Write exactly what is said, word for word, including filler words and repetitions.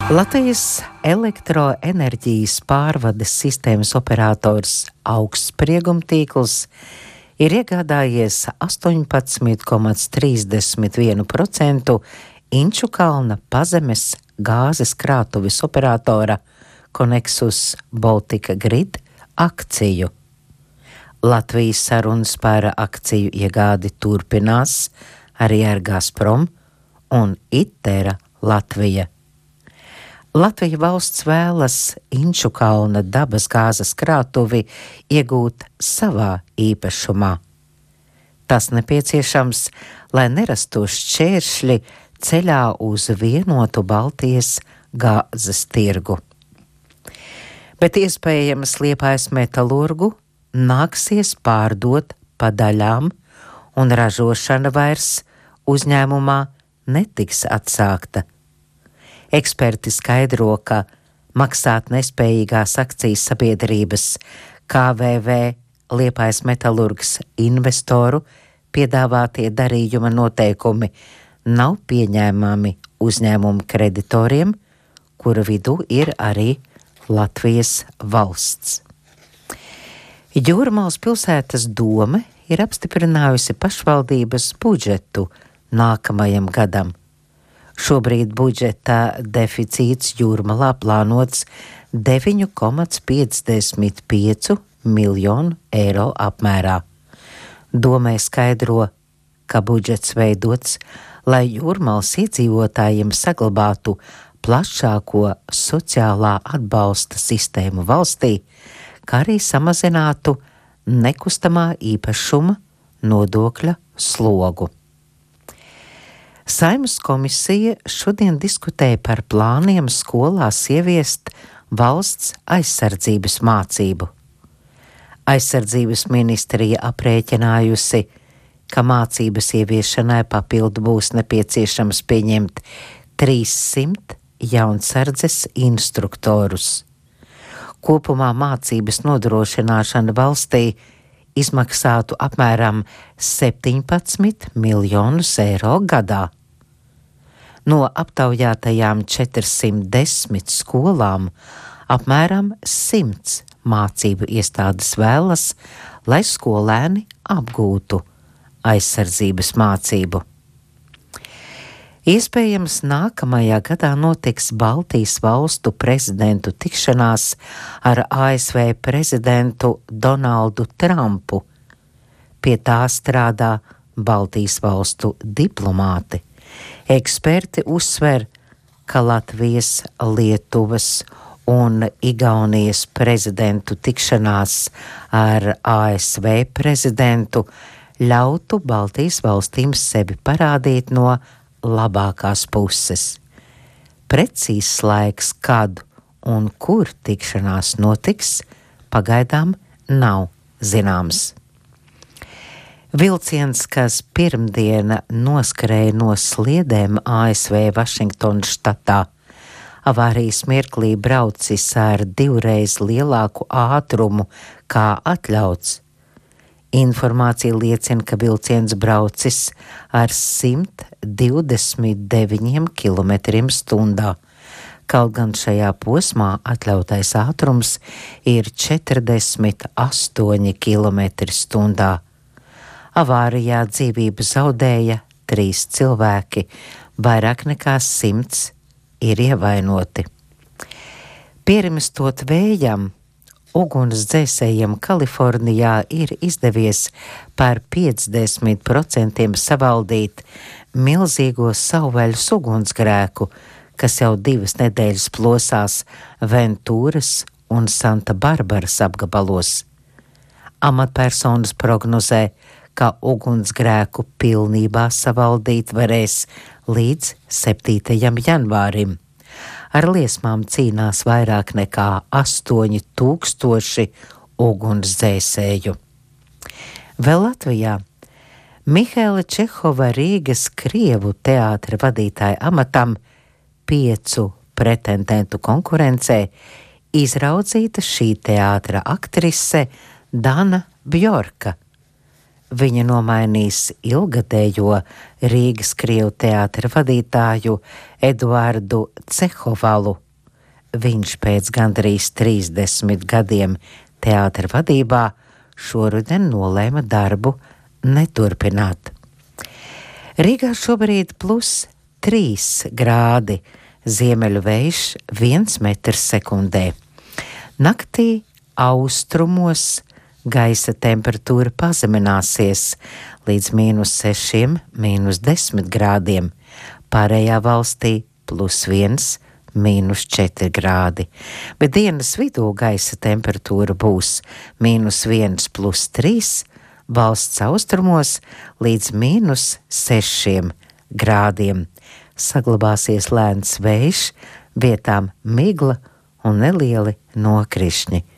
Latvijas elektroenerģijas pārvades sistēmas operators Augstspriegumtīkls ir iegādājies astoņpadsmit komats trīsdesmit vienu procentu Inčukalna pazemes gāzes krātuves operatora Connexus Baltica Grid akciju. Latvijas sarunas par akciju iegādi turpinās arī ar Gazprom un Itera Latvija. Latvija valsts vēlas Inčukalna dabas gāzes krātuvi iegūt savā īpašumā. Tas nepieciešams, lai nerastos šķēršļi ceļā uz vienotu Baltijas gāzes tirgu. Bet iespējams Liepājas metalurgu nāksies pārdot pa daļām, un ražošana vairs uzņēmumā netiks atsākta. Eksperti skaidro, ka maksāt nespējīgās akcijas sabiedrības K V V Liepājas metalurgs investoru piedāvātie darījuma noteikumi nav pieņēmami uzņēmumu kreditoriem, kura vidū ir arī Latvijas valsts. Jūrmalas pilsētas dome ir apstiprinājusi pašvaldības budžetu nākamajam gadam. Šobrīd budžeta deficīts Jūrmalā plānots deviņi komats piecdesmit pieci miljonu eiro apmērā. Domē skaidro, ka budžets veidots, lai Jūrmalas iedzīvotājiem saglabātu plašāko sociālā atbalsta sistēmu valstī, kā arī samazinātu nekustamā īpašuma nodokļa slogu. Saeimas komisija šodien diskutēja par plāniem skolās ieviest valsts aizsardzības mācību. Aizsardzības ministrija aprēķinājusi, ka mācības ieviešanai papildu būs nepieciešams pieņemt trīssimt jaunsardzes instruktorus. Kopumā mācības nodrošināšana valstī izmaksātu apmēram septiņpadsmit miljonus eiro gadā. No aptaujātajām četrsimt desmit skolām apmēram simts mācību iestādes vēlas, lai skolēni apgūtu aizsardzības mācību. Iespējams, nākamajā gadā notiks Baltijas valstu prezidentu tikšanās ar A S V prezidentu Donaldu Trumpu. Pie tā strādā Baltijas valstu diplomāti. Eksperti uzsver, ka Latvijas, Lietuvas un Igaunijas prezidentu tikšanās ar A S V prezidentu ļautu Baltijas valstīm sevi parādīt no labākās puses. Precīzs laiks, kad un kur tikšanās notiks, pagaidām nav zināms. Vilciens, kas pirmdiena noskrēja no sliedēm A S V Vašingtonas štatā, avārijas mirklī braucis ar divreiz lielāku ātrumu kā atļauts. Informācija liecina, ka vilciens braucis ar simt divdesmit deviņiem kilometriem stundā, kaut gan šajā posmā atļautais ātrums ir četrdesmit astoņi kilometri stundā. Avārijā dzīvību zaudēja trīs cilvēki, vairāk nekā simts ir ievainoti. Pierimstot vējam, ugunsdzēsējiem Kalifornijā ir izdevies par piecdesmit procentiem savaldīt milzīgo savvaļas ugunsgrēku, kas jau divas nedēļas plosās Ventūras un Santa Barbaras apgabalos. Amatpersonas prognozē, ka ugunsgrēku pilnībā savaldīt varēs līdz septītajam janvārim. Ar liesmām cīnās vairāk nekā astoņi tūkstoši ugunsdzēsēju. Vēl Latvijā Mihaila Čehova Rīgas Krievu teātra vadītāja amatam piecu pretendentu konkurencē izraudzīta šī teātra aktrise Dana Bjorka. viņa nomainīs ilgadējo Rīgas Krievu teātra vadītāju Eduardu Cehovalu. Viņš pēc gandrīz trīsdesmit gadiem teātra vadībā šoruden nolēma darbu neturpināt. Rīgā šobrīd plus trīs grādi, ziemeļu vējš viens metrs sekundē. Naktī austrumos gaisa temperatūra pazemināsies līdz mīnus sešiem, mīnus desmit grādiem, pārējā valstī plus viens, mīnus četri grādi, bet dienas vidū gaisa temperatūra būs mīnus viens plus trīs, valsts austrumos līdz mīnus sešiem grādiem. Saglabāsies lēns vējš, vietām migla un nelieli nokrišņi.